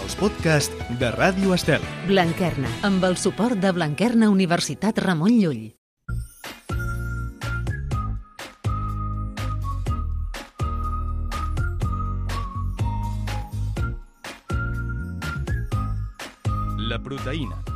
els podcasts de Ràdio Estel. Blanquerna, amb el suport de Blanquerna Universitat Ramon Llull. La proteïna.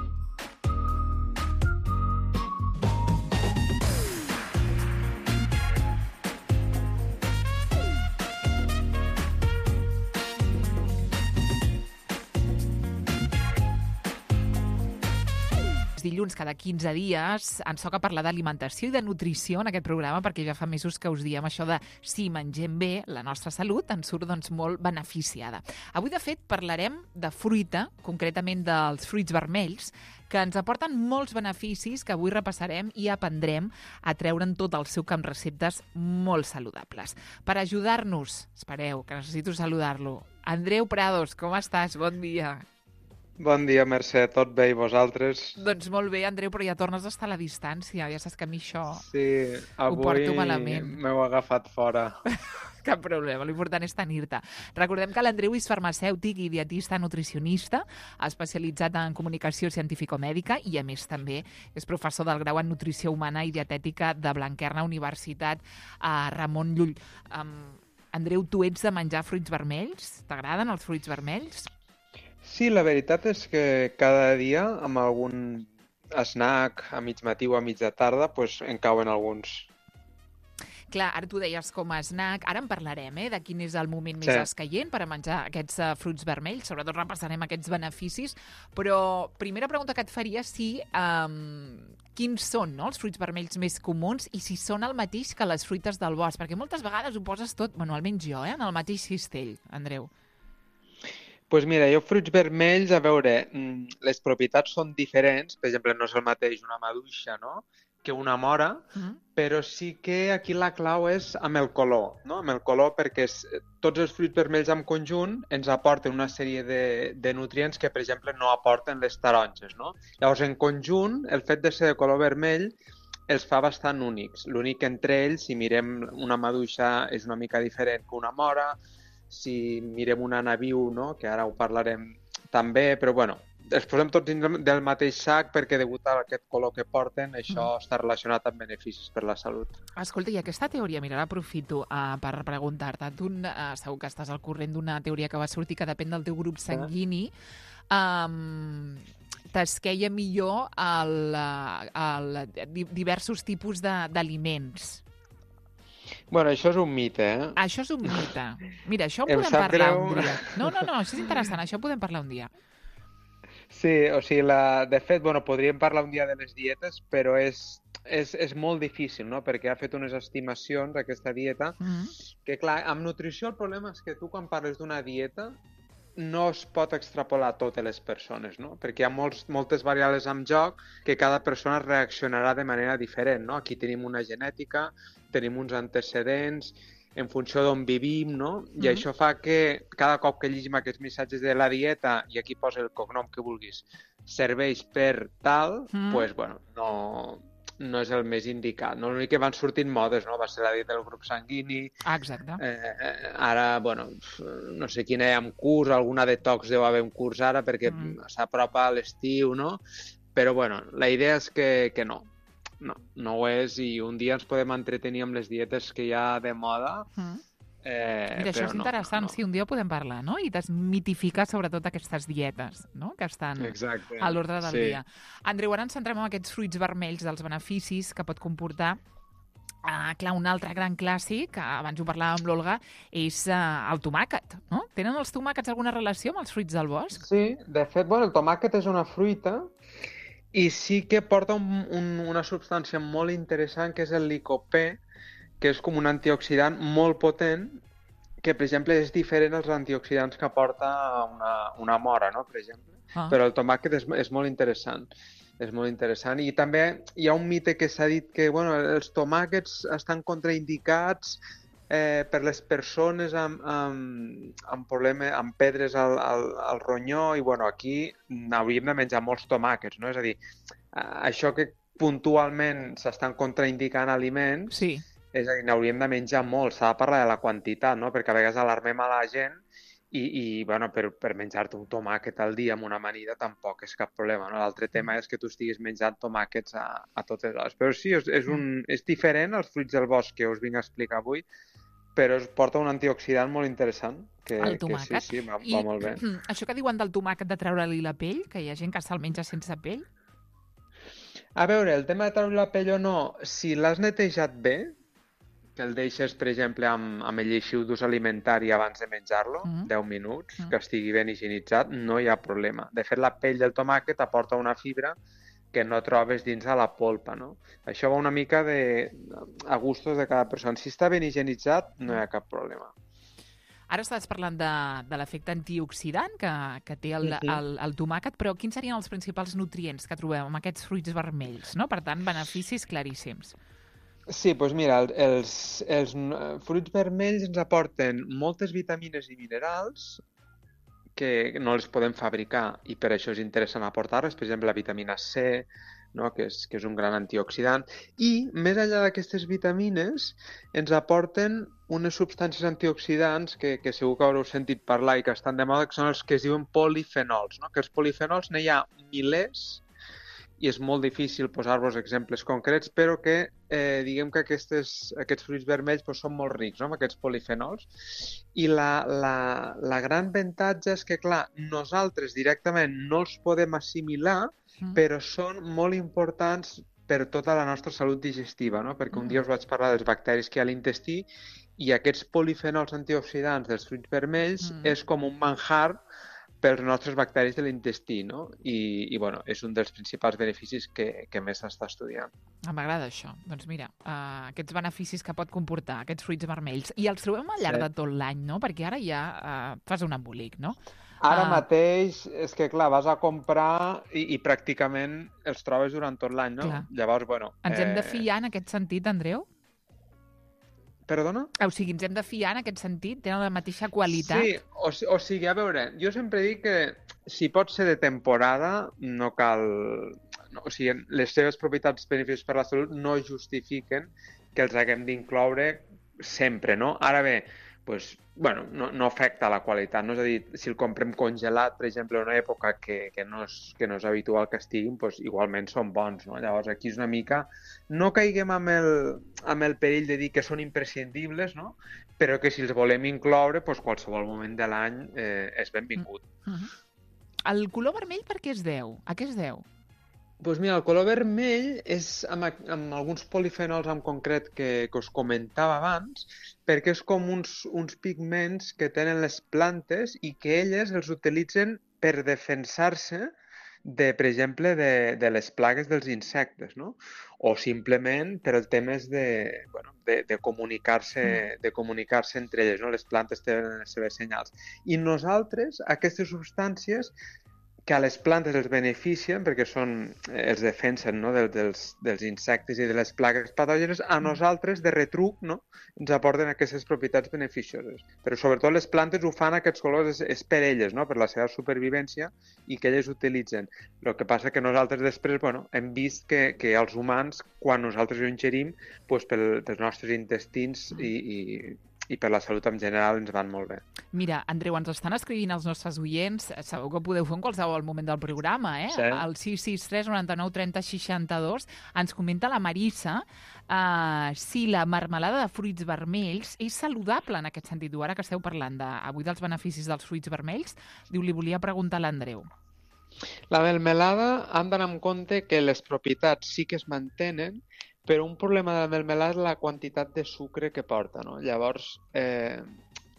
Dilluns, cada 15 dies, ens toca parlar d'alimentació i de nutrició en aquest programa, perquè ja fa mesos que us diem això de si mengem bé, la nostra salut ens surt molt beneficiada. Avui, de fet, parlarem de fruita, concretament dels fruits vermells, que ens aporten molts beneficis que avui repassarem i aprendrem a treure'n tot el seu camp receptes molt saludables. Per ajudar-nos, espereu, que necessito saludar-lo, Andreu Prados, com estàs? Bon dia. Bon dia, Mercè. Tot bé i vosaltres? Doncs molt bé, Andreu, però ja tornes a estar a la distància. Ja saps que a mi això ho porto malament. M'heu agafat fora. Cap problema, l'important és tenir-te. Recordem que l'Andreu és farmacèutic i dietista nutricionista, especialitzat en comunicació científico-mèdica i, a més, també és professor del grau en nutrició humana i dietètica de Blanquerna Universitat a Ramon Llull. Andreu, tu ets de menjar fruits vermells? T'agraden els fruits vermells? Sí, la veritat és que cada dia, amb algun snack a mig matí o a mitja tarda, doncs en cauen alguns. Clar, ara tu deies com a snack, ara en parlarem, de quin és el moment més escaient per a menjar aquests fruits vermells, sobretot repassarem aquests beneficis, però primera pregunta que et faria és si quins són els fruits vermells més comuns i si són el mateix que les fruites del bosc, perquè moltes vegades ho poses tot, bueno, almenys jo, en el mateix cistell, Andreu. Doncs mira, jo fruits vermells, a veure, les propietats són diferents, per exemple, no és el mateix una maduixa, no?, que una mora, però sí que aquí la clau és amb el color, no?, amb el color, perquè tots els fruits vermells en conjunt ens aporten una sèrie de nutrients que, per exemple, no aporten les taronges, no? Llavors, en conjunt, el fet de ser de color vermell els fa bastant únics. L'únic entre ells, si mirem una maduixa, és una mica diferent que una mora. Si mirem una naviu, no?, que ara ho parlarem també, però bueno, els posem tots dins del mateix sac perquè degut a aquest color que porten, això està relacionat amb beneficis per la salut. Escolta, i aquesta teoria, mira, l'aprofito per preguntar-te. Tu segur que estàs al corrent d'una teoria que va sortir que depèn del teu grup sanguini. T'esqueia millor diversos tipus d'aliments. Bueno, això és un mite, Això és un mite. Mira, això en podem parlar un dia. No, això és interessant, això podem parlar un dia. Sí, o sigui, de fet, podríem parlar un dia de les dietes, però és molt difícil, no?, perquè ha fet unes estimacions, aquesta dieta, que clar, amb nutrició el problema és que tu quan parles d'una dieta no es pot extrapolar a totes les persones, no?, perquè hi ha moltes variables en joc que cada persona reaccionarà de manera diferent, no? Aquí tenim una genètica, tenim uns antecedents, en funció d'on vivim, no? I això fa que cada cop que llegim aquests missatges de la dieta, i aquí posa el cognom que vulguis, serveix per tal, doncs, no és el més indicat. No? L'únic que van sortint modes, no? Va ser la dieta del grup sanguini. Exacte. Ara, no sé quina hi ha en curs, alguna detox deu haver en curs ara, perquè s'apropa a l'estiu, no? Però, la idea és que no. No ho és, i un dia ens podem entretenir amb les dietes que hi ha de moda. Mira, això és interessant, sí, un dia podem parlar, no? I desmitificar sobretot aquestes dietes, no?, que estan a l'ordre del dia. Andreu, ara ens centrem en aquests fruits vermells, dels beneficis que pot comportar. Clar, un altre gran clàssic, abans ho parlàvem amb l'Olga, és el tomàquet, no? Tenen els tomàquets alguna relació amb els fruits del bosc? Sí, de fet, el tomàquet és una fruita i sí que porta una substància molt interessant, que és el licopè, que és com un antioxidant molt potent, que, per exemple, és diferent als antioxidants que aporta una mora, no?, per exemple. Però el tomàquet és molt interessant. És molt interessant. I també hi ha un mite que s'ha dit que els tomàquets estan contraindicats per les persones amb problemes, amb pedres al ronyó, i aquí hauríem de menjar molts tomàquets, no? És a dir, això que puntualment s'estan contraindicant aliments, és a dir, n'hauríem de menjar molts, s'ha de parlar de la quantitat, no? Perquè a vegades alarmem a la gent bueno, per menjar-te un tomàquet al dia amb una amanida tampoc és cap problema, no? L'altre tema és que tu estiguis menjant tomàquets a totes hores. Però sí, és diferent als fruits del bosc que us vinc a explicar avui, però es porta un antioxidant molt interessant, el tomàquet. Que sí, va molt bé. Això que diuen del tomàquet de treure-li la pell, que hi ha gent que se'l menja sense pell? A veure, el tema de treure la pell o no, si l'has netejat bé, que el deixes, per exemple, amb el lleixiu d'ús alimentari abans de menjar-lo, 10 minuts, que estigui ben higienitzat, no hi ha problema. De fet, la pell del tomàquet aporta una fibra que no trobes dins de la polpa, no? Això va una mica a gustos de cada persona. Si està ben higienitzat, no hi ha cap problema. Ara estàs parlant de l'efecte antioxidant que té el tomàquet, però quins serien els principals nutrients que trobem en aquests fruits vermells, no? Per tant, beneficis claríssims. Sí, doncs mira, els fruits vermells ens aporten moltes vitamines i minerals que no les podem fabricar i per això és interessant aportar-les, per exemple, la vitamina C, no? que és un gran antioxidant, i més enllà d'aquestes vitamines ens aporten unes substàncies antioxidants que segur que haureu sentit parlar i que estan de moda, que són els que es diuen polifenols, no? Que els polifenols n'hi ha milers i és molt difícil posar-vos exemples concrets, però que diguem que aquests fruits vermells doncs, són molt rics, no? Amb aquests polifenols. I la gran avantatge és que, clar, nosaltres directament no els podem assimilar, però són molt importants per tota la nostra salut digestiva, no? Perquè un dia us vaig parlar dels bacteris que hi ha a l'intestí i aquests polifenols antioxidants dels fruits vermells és com un manjar pels nostres bacteris de l'intestí, no? I bueno, és un dels principals beneficis que més s'està estudiant. M'agrada això. Doncs mira, aquests beneficis que pot comportar aquests fruits vermells. I els trobem al llarg de tot l'any, no? Perquè ara ja fas un embolic, no? Ara mateix, és que clar, vas a comprar i pràcticament els trobes durant tot l'any, no? Clar. Llavors, bueno... Ens hem de fiar en aquest sentit, Andreu? Perdona? O sigui, ens hem de fiar en aquest sentit? Tenen la mateixa qualitat? Sí, o sigui, a veure, jo sempre dic que si pot ser de temporada, no cal... No, o sigui, les seves propietats beneficis per la salut no justifiquen que els haguem d'incloure sempre, no? Ara bé, doncs, bueno, no afecta la qualitat, no? És a dir, si el comprem congelat, per exemple, en una època que no és habitual que estiguin, doncs igualment són bons, no? Llavors aquí és una mica... No caiguem amb el perill de dir que són imprescindibles, no? Però que si els volem incloure, doncs qualsevol moment de l'any és benvingut. El color vermell per què es deu? A què es deu? Doncs mira, el color vermell és amb alguns polifenols en concret que us comentava abans, perquè és com uns pigments que tenen les plantes i que elles els utilitzen per defensar-se per exemple, de les plagues dels insectes, no? O simplement per el temes de comunicar-se entre elles, no? Les plantes tenen les seves senyals. I nosaltres, aquestes substàncies que a les plantes els beneficien perquè els defensen, no? dels insectes i de les plagues patògenes, a nosaltres de retruc, no? Ens aporten aquestes propietats beneficioses. Però sobretot les plantes ho fan aquests colors és per elles, no? Per la seva supervivència i que elles utilitzen. El que passa que nosaltres després hem vist que els humans, quan nosaltres ho ingerim, doncs pels nostres intestins i per la salut en general ens van molt bé. Mira, Andreu, ens estan escrivint els nostres oients, sabeu que ho podeu fer en qualsevol moment del programa, eh? Sí. Al 663 99 30 62 ens comenta la Marissa si la marmelada de fruits vermells és saludable en aquest sentit. Ara que esteu parlant avui dels beneficis dels fruits vermells, diu, li volia preguntar a l'Andreu. La melmelada han d'anar amb compte que les propietats sí que es mantenen, però un problema de la melmelada és la quantitat de sucre que porta, no? Llavors,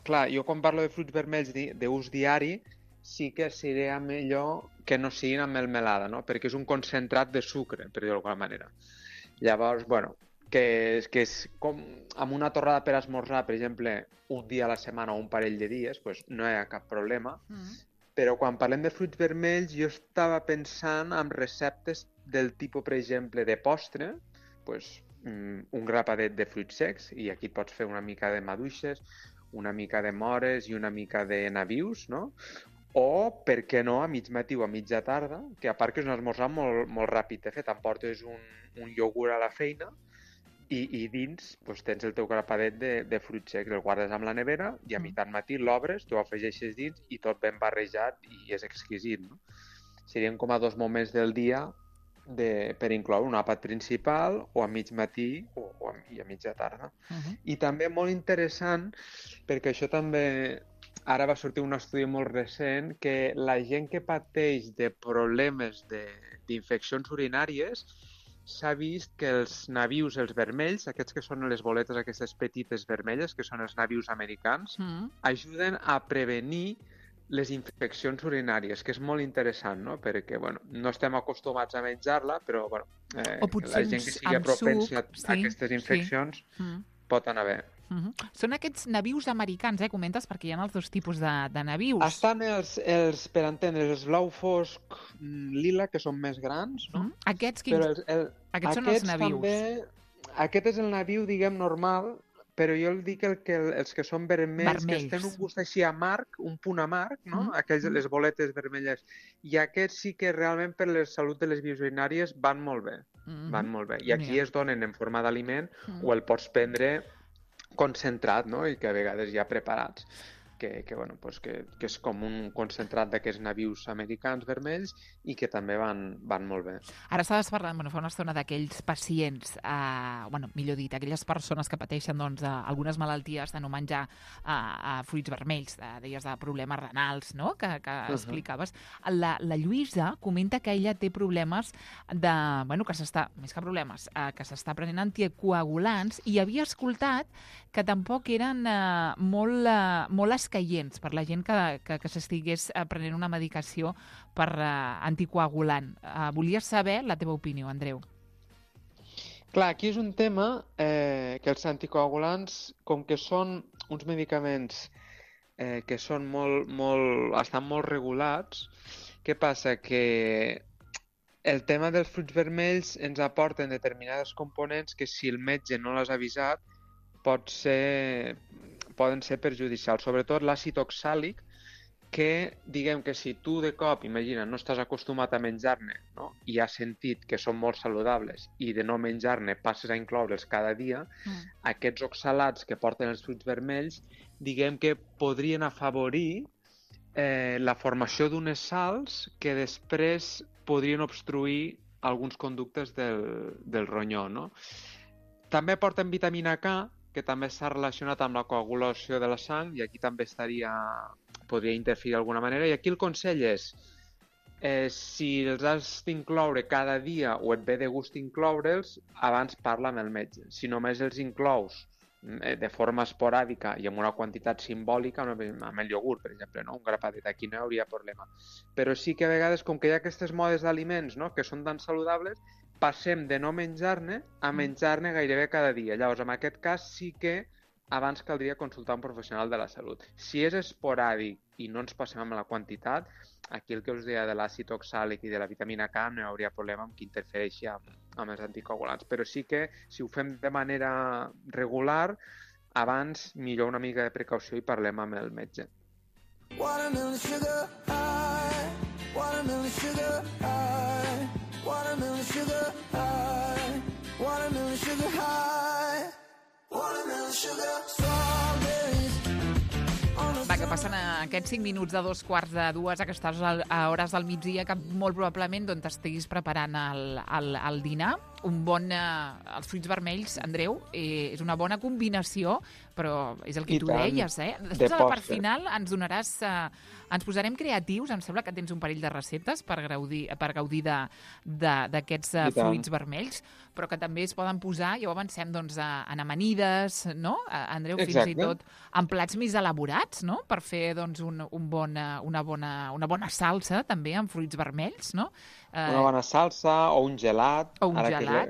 clar, jo quan parlo de fruits vermells d'ús diari, sí que seria millor que no siguin amb melmelada, no? Perquè és un concentrat de sucre, per dir-ho d'alguna manera. Llavors, que és com amb una torrada per esmorzar, per exemple, un dia a la setmana o un parell de dies, doncs no hi ha cap problema. Però quan parlem de fruits vermells, jo estava pensant en receptes del tipus, per exemple, de postre, un grapadet de fruits secs, i aquí pots fer una mica de maduixes, una mica de mores i una mica de nabius, no? O, per què no, a mig matí o a mitja tarda, que a part que és un esmorzar molt, molt ràpid de fer, t'emportes un iogurt a la feina, i dins doncs, tens el teu grapadet de fruits secs, el guardes amb la nevera i a mitjan matí l'obres, t'ho afegeixes dins i tot ben barrejat i és exquisit. No? Serien com a 2 moments del dia per incloure un àpat principal o a mig matí i a mitja tarda. I també molt interessant, perquè això també... Ara va sortir un estudi molt recent que la gent que pateix de problemes d'infeccions urinàries s'ha vist que els nabius, els vermells, aquests que són les boletes aquestes petites vermelles, que són els nabius americans, ajuden a prevenir les infeccions urinàries, que és molt interessant, no? Perquè, bueno, no estem acostumats a menjar-la, però, bueno, la gent que sigui propensa a aquestes infeccions pot anar bé. Són aquests nabius americans, comentes, perquè hi ha els 2 tipus de nabius. Estan els, per entendre's, els blau fosc lila, que són més grans, no? Aquests són els nabius. També, aquest és el nabiu, diguem, normal, però jo el dic els que són vermells, que tenen un gust així amarg, un punt amarg, no? Aquells, les boletes vermelles. I aquests sí que realment per la salut de les vies urinàries van molt bé. Van molt bé. I aquí es donen en forma d'aliment o el pots prendre concentrat, no? I que a vegades ja preparats, que és com un concentrat d'aquests nabius americans vermells i que també van molt bé. Ara estaves parlant, fa una estona d'aquells pacients, millor dit, aquelles persones que pateixen algunes malalties de no menjar fruits vermells, deies de problemes renals, no? Que explicaves. La Lluïsa comenta que ella té problemes que s'està prenent anticoagulants i havia escoltat que tampoc eren molt escaients per la gent que s'estigués prenent una medicació per anticoagulant. Volia saber la teva opinió, Andreu. Clar, aquí és un tema que els anticoagulants, com que són uns medicaments que són estan molt regulats, què passa? Que el tema dels fruits vermells ens aporten determinades components que si el metge no l'has avisat poden ser perjudicials, sobretot l'àcid oxàlic, que diguem que si tu de cop, imagina, no estàs acostumat a menjar-ne, no? I has sentit que són molt saludables i de no menjar-ne passes a incloure'ls cada dia, aquests oxalats que porten els fruits vermells, diguem que podrien afavorir la formació d'unes sals que després podrien obstruir alguns conductes del ronyó, no? També porten vitamina K, que també està relacionat amb la coagulació de la sang i aquí també podria interferir d'alguna manera. I aquí el consell és, si els has d'incloure cada dia o et ve de gust incloure'ls, abans parla amb el metge. Si només els inclous de forma esporàdica i amb una quantitat simbòlica, amb el iogurt, per exemple, no? Un grapadet, aquí no hi hauria problema. Però sí que a vegades, com que hi ha aquestes modes d'aliments, no? Que són tan saludables, passem de no menjar-ne a menjar-ne gairebé cada dia. Llavors, en aquest cas sí que abans caldria consultar un professional de la salut. Si és esporàdic i no ens passem amb la quantitat, aquí el que us deia de l'àcid oxàlic i de la vitamina K no hi hauria problema amb que interfereixi amb els anticoagulants. Però sí que si ho fem de manera regular, abans millor una mica de precaució i parlem amb el metge. Watermelon sugar high, watermelon sugar high, watermelon sugar high, watermelon sugar high, watermelon sugar strawberries. Va, que passen aquests 5 minuts de 2:45 aquestes hores del migdia que molt probablement t'estiguis preparant el dinar. Els fruits vermells, Andreu, és una bona combinació, però és el que tu deies, Després, a la part final, ens posarem creatius. Em sembla que tens un parell de receptes per gaudir d'aquests fruits vermells, però que també es poden posar, ja ho avancem, en amanides, no? Andreu, fins i tot en plats més elaborats, no? Per fer una bona salsa, també, amb fruits vermells, no? Una bona salsa o un gelat,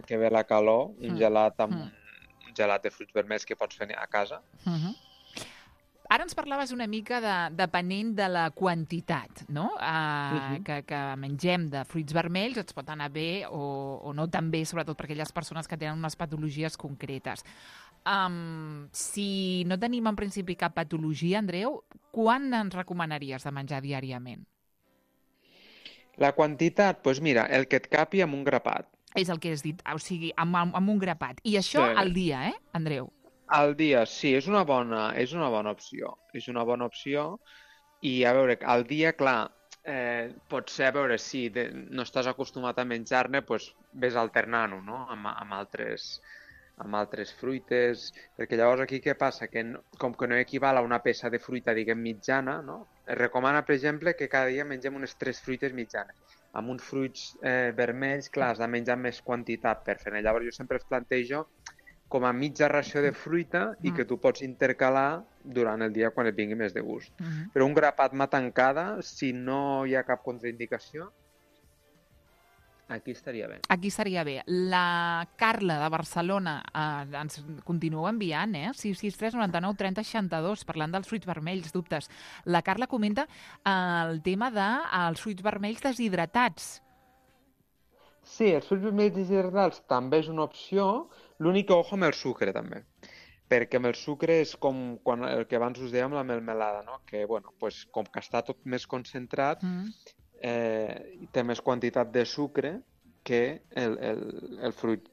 que ve la calor, un gelat de fruits vermells que pots fer a casa. Ara ens parlaves una mica depenent de la quantitat, no? Que mengem de fruits vermells, ens pot anar bé o no tan bé, sobretot per aquelles persones que tenen unes patologies concretes. Si no tenim en principi cap patologia, Andreu, quan ens recomanaries de menjar diàriament? La quantitat, doncs mira, el que et capi amb un grapat. És el que has dit, o sigui, amb un grapat. I això al dia, Andreu? Al dia, sí, és una bona opció. És una bona opció i, a veure, al dia, clar, potser, a veure, si no estàs acostumat a menjar-ne, doncs ves alternant-ho, no?, amb altres fruites, perquè llavors aquí què passa? Que com que no equival a una peça de fruita, diguem, mitjana, no? Es recomana, per exemple, que cada dia mengem unes 3 fruites mitjanes. Amb uns fruits vermells, clar, has de menjar més quantitat per fer-ne. Llavors jo sempre es plantejo com a mitja ració de fruita i que tu pots intercalar durant el dia quan et vingui més de gust. Però un grapat mà tancada, si no hi ha cap contraindicació, aquí estaria bé. Aquí estaria bé. La Carla de Barcelona ens continua enviant, 663 99 30 62, parlant dels fruits vermells, dubtes. La Carla comenta el tema dels fruits vermells deshidratats. Sí, els fruits vermells deshidratats també és una opció, l'únic que ojo amb el sucre també, perquè amb el sucre és com el que abans us dèiem la melmelada, no? Que, bueno, pues, com que està tot més concentrat, té més quantitat de sucre que el fruit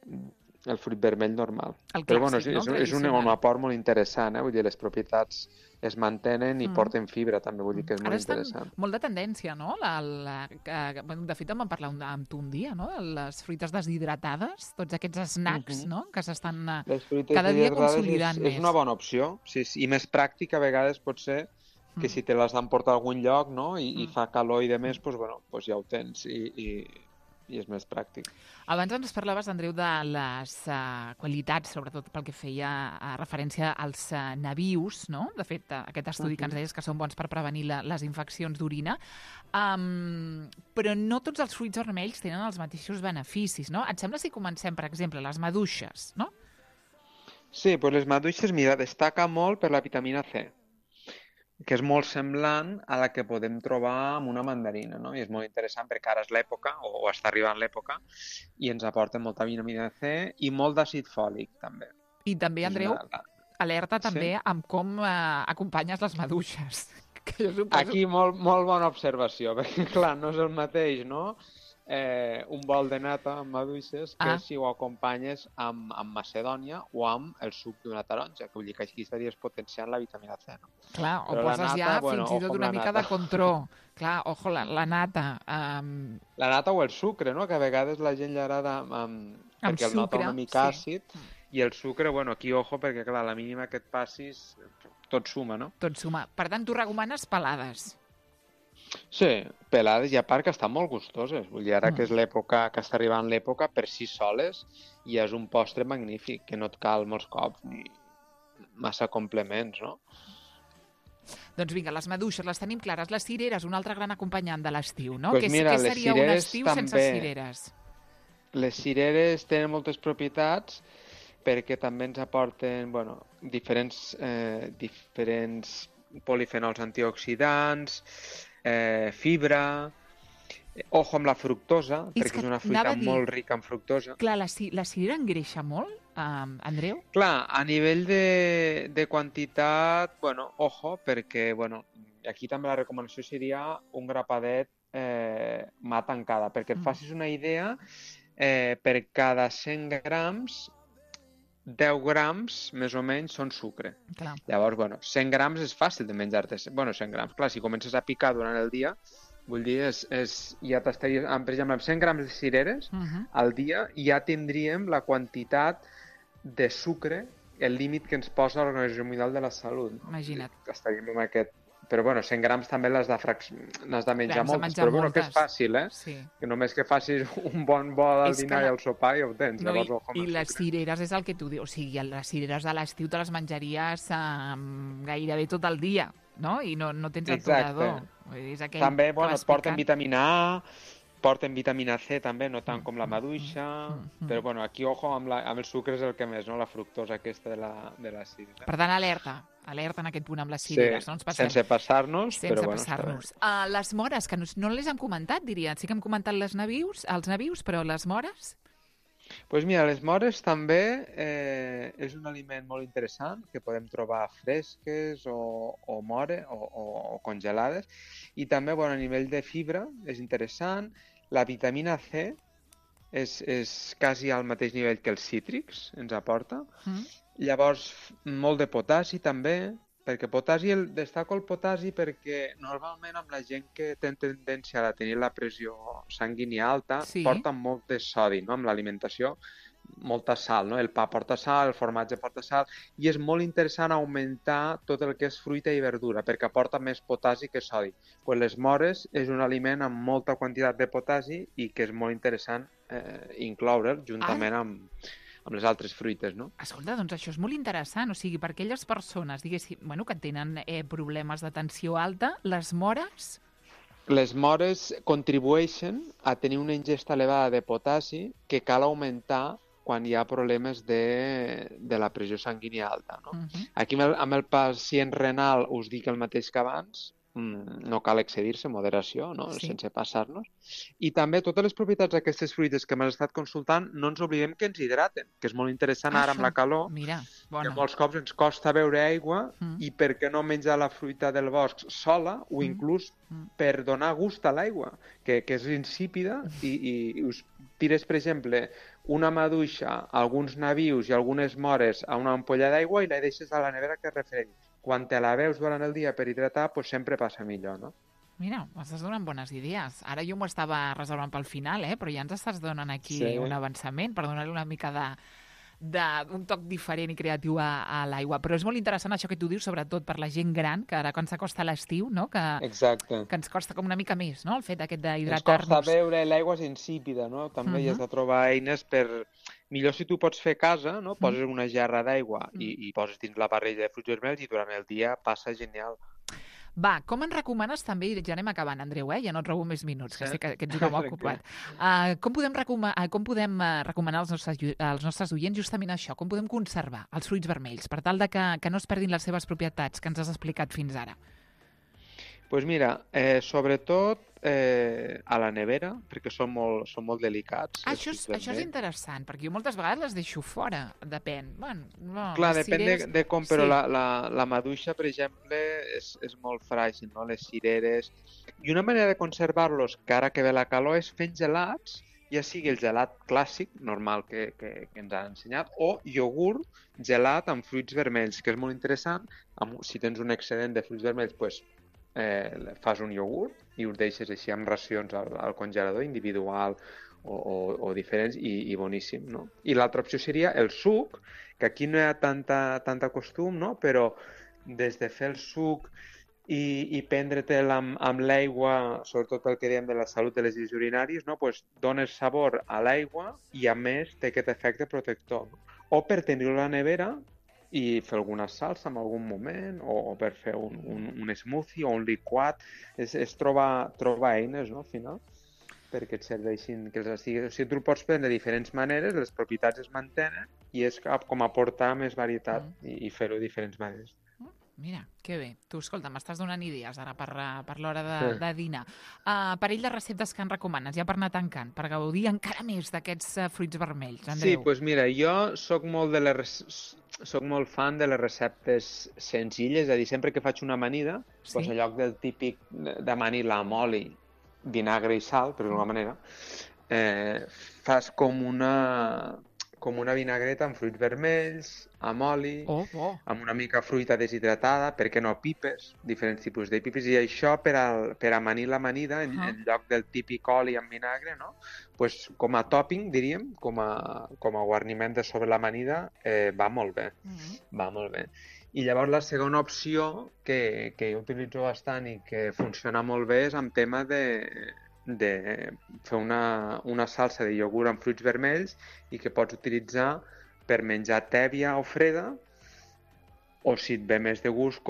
vermell normal. Però bueno, és un aport molt interessant, vull dir, les propietats es mantenen i porten fibra també, vull dir que és molt interessant. Ara estan molt de tendència, no? De fet, en vam parlar amb tu un dia, no? Les fruites deshidratades, tots aquests snacks, no? Que s'estan cada dia consolidant més. És una bona opció, sí, i més pràctica a vegades pot ser que si te les han portat a algun lloc, no? I fa calor i de més, doncs, bueno, ja ho tens i és més pràctic. Abans ens parlaves, Andreu, de les qualitats, sobretot pel que feia referència als nabius, no? De fet, aquest estudi que ens deies que són bons per prevenir les infeccions d'orina. Però no tots els fruits vermells tenen els mateixos beneficis, no? Et sembla si comencem, per exemple, les maduixes, no? Sí, doncs les maduixes, mira, destaca molt per la vitamina C, que és molt semblant a la que podem trobar amb una mandarina, no? I és molt interessant perquè ara és l'època, o està arribant l'època, i ens aporta molta vitamina C i molt d'àcid fòlic, també. I també, Andreu, alerta també amb com acompanyes les maduixes. Aquí molt bona observació, perquè clar, no és el mateix, no? Un bol de nata amb maduixes que si ho acompanyes amb macedònia o amb el suc d'una taronja, que vull dir que aquí estaries potenciant la vitamina C, no? Clar, o poses ja fins i tot una mica de contró. Clar, ojo, la nata. La nata o el sucre, no? Que a vegades la gent li agrada perquè el nota una mica àcid i el sucre, bueno, aquí ojo, perquè clar, la mínima que et passis tot suma, no? Tot suma. Per tant, tu recomanes pelades. Sí, pelades i a part que estan molt gustoses. Vull dir, ara que és l'època, que està arribant l'època, per si soles, i és un postre magnífic, que no et cal molts cops ni massa complements, no? Doncs vinga, les maduixes les tenim clares. Les cireres, un altre gran acompanyant de l'estiu, no? Pues mira, què seria un estiu sense cireres? Les cireres tenen moltes propietats perquè també ens aporten, bueno, diferents polifenols antioxidants, fibra, ojo amb la fructosa, perquè és una fruita molt rica en fructosa. Clar, la cirera engreixa molt, Andreu? Clar, a nivell de quantitat, bueno, ojo, perquè, bueno, aquí també la recomanació seria un grapadet mà tancada, perquè et facis una idea, per cada 100 grams 10 grams, més o menys, són sucre. Clar. Llavors, bueno, 100 grams és fàcil de menjar-te. Bueno, 100 grams, clar, si comences a picar durant el dia, vull dir, ja t'estaries... Per exemple, amb 100 grams de cireres al dia ja tindríem la quantitat de sucre, el límit que ens posa l'Organització Mundial de la Salut. Imagina't. Estaríem amb aquest... Però, bueno, 100 grams també n'has de menjar moltes. Però, bueno, que és fàcil, Sí. Que només que facis un bon bol al dinar i al sopar i ho tens. No, I les cireres és el que tu dius. O sigui, les cireres de l'estiu te les menjaries gairebé tot el dia, no? I no tens aturador. També, bueno, et porten vitamina A, porten vitamina C també, no tant com la maduixa, però, bueno, aquí, ojo, amb el sucre és el que més, no? La fructosa aquesta de la cirera. Per tant, alerta en aquest punt amb les cireres. Sí, sense passar-nos, però bueno. Sense passar-nos. Les mores, que no les hem comentat, diria. Sí que hem comentat els nabius, però les mores? Doncs mira, les mores també és un aliment molt interessant que podem trobar fresques o congelades, i també, bueno, a nivell de fibra és interessant. La vitamina C és quasi al mateix nivell que els cítrics ens aporta. Llavors, molt de potassi també, perquè destaco el potassi perquè normalment amb la gent que té tendència a tenir la pressió sanguínia alta, porta molt de sodi, no?, amb l'alimentació, molta sal, no? El pa porta sal, el formatge porta sal, i és molt interessant augmentar tot el que és fruita i verdura, perquè aporta més potassi que sodi. Pues les mores és un aliment amb molta quantitat de potassi i que és molt interessant incloure'l juntament amb les altres fruites, no? Escolta, doncs això és molt interessant, o sigui, per aquelles persones, diguéssim, que tenen problemes de tensió alta, les mores... Les mores contribueixen a tenir una ingesta elevada de potassi que cal augmentar quan hi ha problemes de la pressió sanguínia alta, no? Aquí amb el pacient renal us dic el mateix que abans, no cal excedir-se, moderació, no? Sense passar-nos. I també totes les propietats d'aquestes fruites que m'has estat consultant, no ens oblidem que ens hidraten, que és molt interessant ara amb la calor. Mira, que molts cops ens costa beure aigua i per què no menjar la fruita del bosc sola o inclús per donar gust a l'aigua, que és insípida i us tires, per exemple, una maduixa, alguns nabius i algunes mores a una ampolla d'aigua i la deixes a la nevera que es refredi. Quan te la veus durant el dia per hidratar, doncs sempre passa millor, no? Mira, m'estàs donant bones idees. Ara jo m'ho estava reservant pel final, però ja ens estàs donant aquí un avançament per donar-li una mica d'un toc diferent i creatiu a l'aigua. Però és molt interessant això que tu dius, sobretot per la gent gran, que ara quan s'acosta l'estiu, no? Exacte. Que ens costa com una mica més, no?, el fet aquest d'hidratar-nos. Ens costa beure, l'aigua és insípida, no? També hi has de trobar eines per... Millor si tu pots fer a casa, no? Poses una gerra d'aigua i poses dins la barrella de fruits vermells i durant el dia passa genial. Va, com ens recomanes també, i ja anem acabant, Andreu, ja no et robo més minuts, que sé que ets un home ocupat. Com podem recomanar als nostres oients justament això? Com podem conservar els fruits vermells per tal de que no es perdin les seves propietats que ens has explicat fins ara? Doncs mira, sobretot a la nevera, perquè són molt delicats. Això és interessant, perquè jo moltes vegades les deixo fora, depèn. Clar, depèn de com, però la maduixa, per exemple, és molt fràgil, no? Les cireres. I una manera de conservar-los, que ara que ve la calor, és fent gelats, ja sigui el gelat clàssic, normal, que ens ha ensenyat, o iogurt gelat amb fruits vermells, que és molt interessant. Si tens un excedent de fruits vermells, doncs fas un iogurt i ho deixes així amb racions al congelador individual o diferents i boníssim, no? I l'altra opció seria el suc, que aquí no hi ha tanta costum, no? Però des de fer el suc i prendre-te'l amb l'aigua, sobretot pel que dèiem de la salut de les vies urinàries, no? Pues dones sabor a l'aigua i a més té aquest efecte protector. O per tenir-ho a la nevera i fer alguna salsa en algun moment, o per fer un smoothie o un liquat. És trobar eines, no?, al final, perquè et serveixin, que els estiguis... O sigui, tu el pots prendre de diferents maneres, les propietats es mantenen, i és com aportar més varietat i fer-ho de diferents maneres. Mira, que bé. Tu, escolta, m'estàs donant idees ara per l'hora de dinar. Parell de receptes que en recomanes, ja per anar tancant, per gaudir encara més d'aquests fruits vermells, Andreu. Sí, doncs mira, jo soc molt fan de les receptes senzilles, és a dir, sempre que faig una amanida, doncs en lloc del típic d'amanir-la amb oli, vinagre i sal, per d'alguna manera, fas com una vinagreta amb fruits vermells, amb oli, amb una mica fruita deshidratada, per què no pipes, diferents tipus de pipes, i això per amanir l'amanida, en lloc del típic oli amb vinagre, no? Pues, com a topping, diríem, com a guarniment de sobre l'amanida, va molt bé, va molt bé. I llavors la segona opció que jo utilitzo bastant i que funciona molt bé és amb tema de fer una salsa de iogurt amb fruits vermells i que pots utilitzar per menjar tèbia o freda, o si et ve més de gust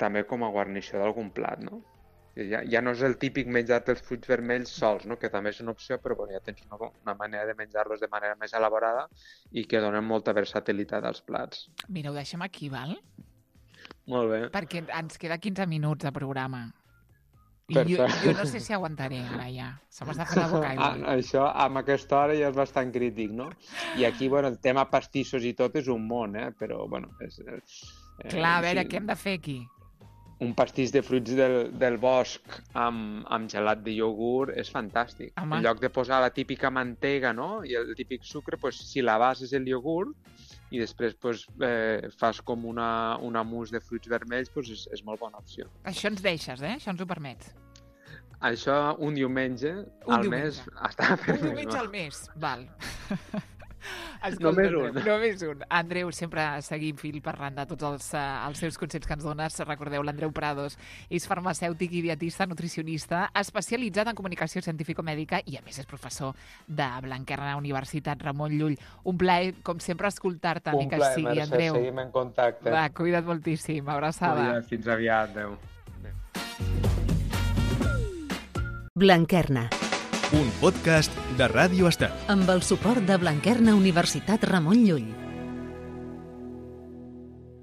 també com a guarnició d'algun plat, no? Ja no és el típic menjar els fruits vermells sols, no? Que també és una opció, però ja tens una manera de menjar-los de manera més elaborada i que donen molta versatilitat als plats. Mira, ho deixem aquí, val? Molt bé. Perquè ens queda 15 minuts de programa. I jo no sé si aguantaré ara ja. Se m'està fent la boca aigua. Això, amb aquesta hora ja és bastant crític, no? I aquí, bueno, el tema pastissos i tot és un món, però, bueno... Clar, a veure, què hem de fer aquí? un pastís de fruits del bosc amb gelat de iogurt és fantàstic. Home. En lloc de posar la típica mantega, no?, i el típic sucre, pues, si la base és el iogurt i després pues, fas com una mousse de fruits vermells, pues, és molt bona opció. Això ens deixes, Això ens ho permets. Això un diumenge al mes està perfecte. Un diumenge al mes, val. Només un. Només un. Andreu, sempre seguim fil parlant de tots els seus consells que ens dones. Recordeu, l'Andreu Prados és farmacèutic i dietista, nutricionista, especialitzat en comunicació científico-mèdica i, a més, és professor de Blanquerna Universitat Ramon Llull. Un plaer, com sempre, escoltar-te, ni que sigui, Mercè, Andreu. seguim en contacte. Va, cuida't moltíssim. Abraçada. Fins aviat, adeu. Blanquerna, un podcast de Ràdio Estel. amb el suport de Blanquerna Universitat Ramon Llull.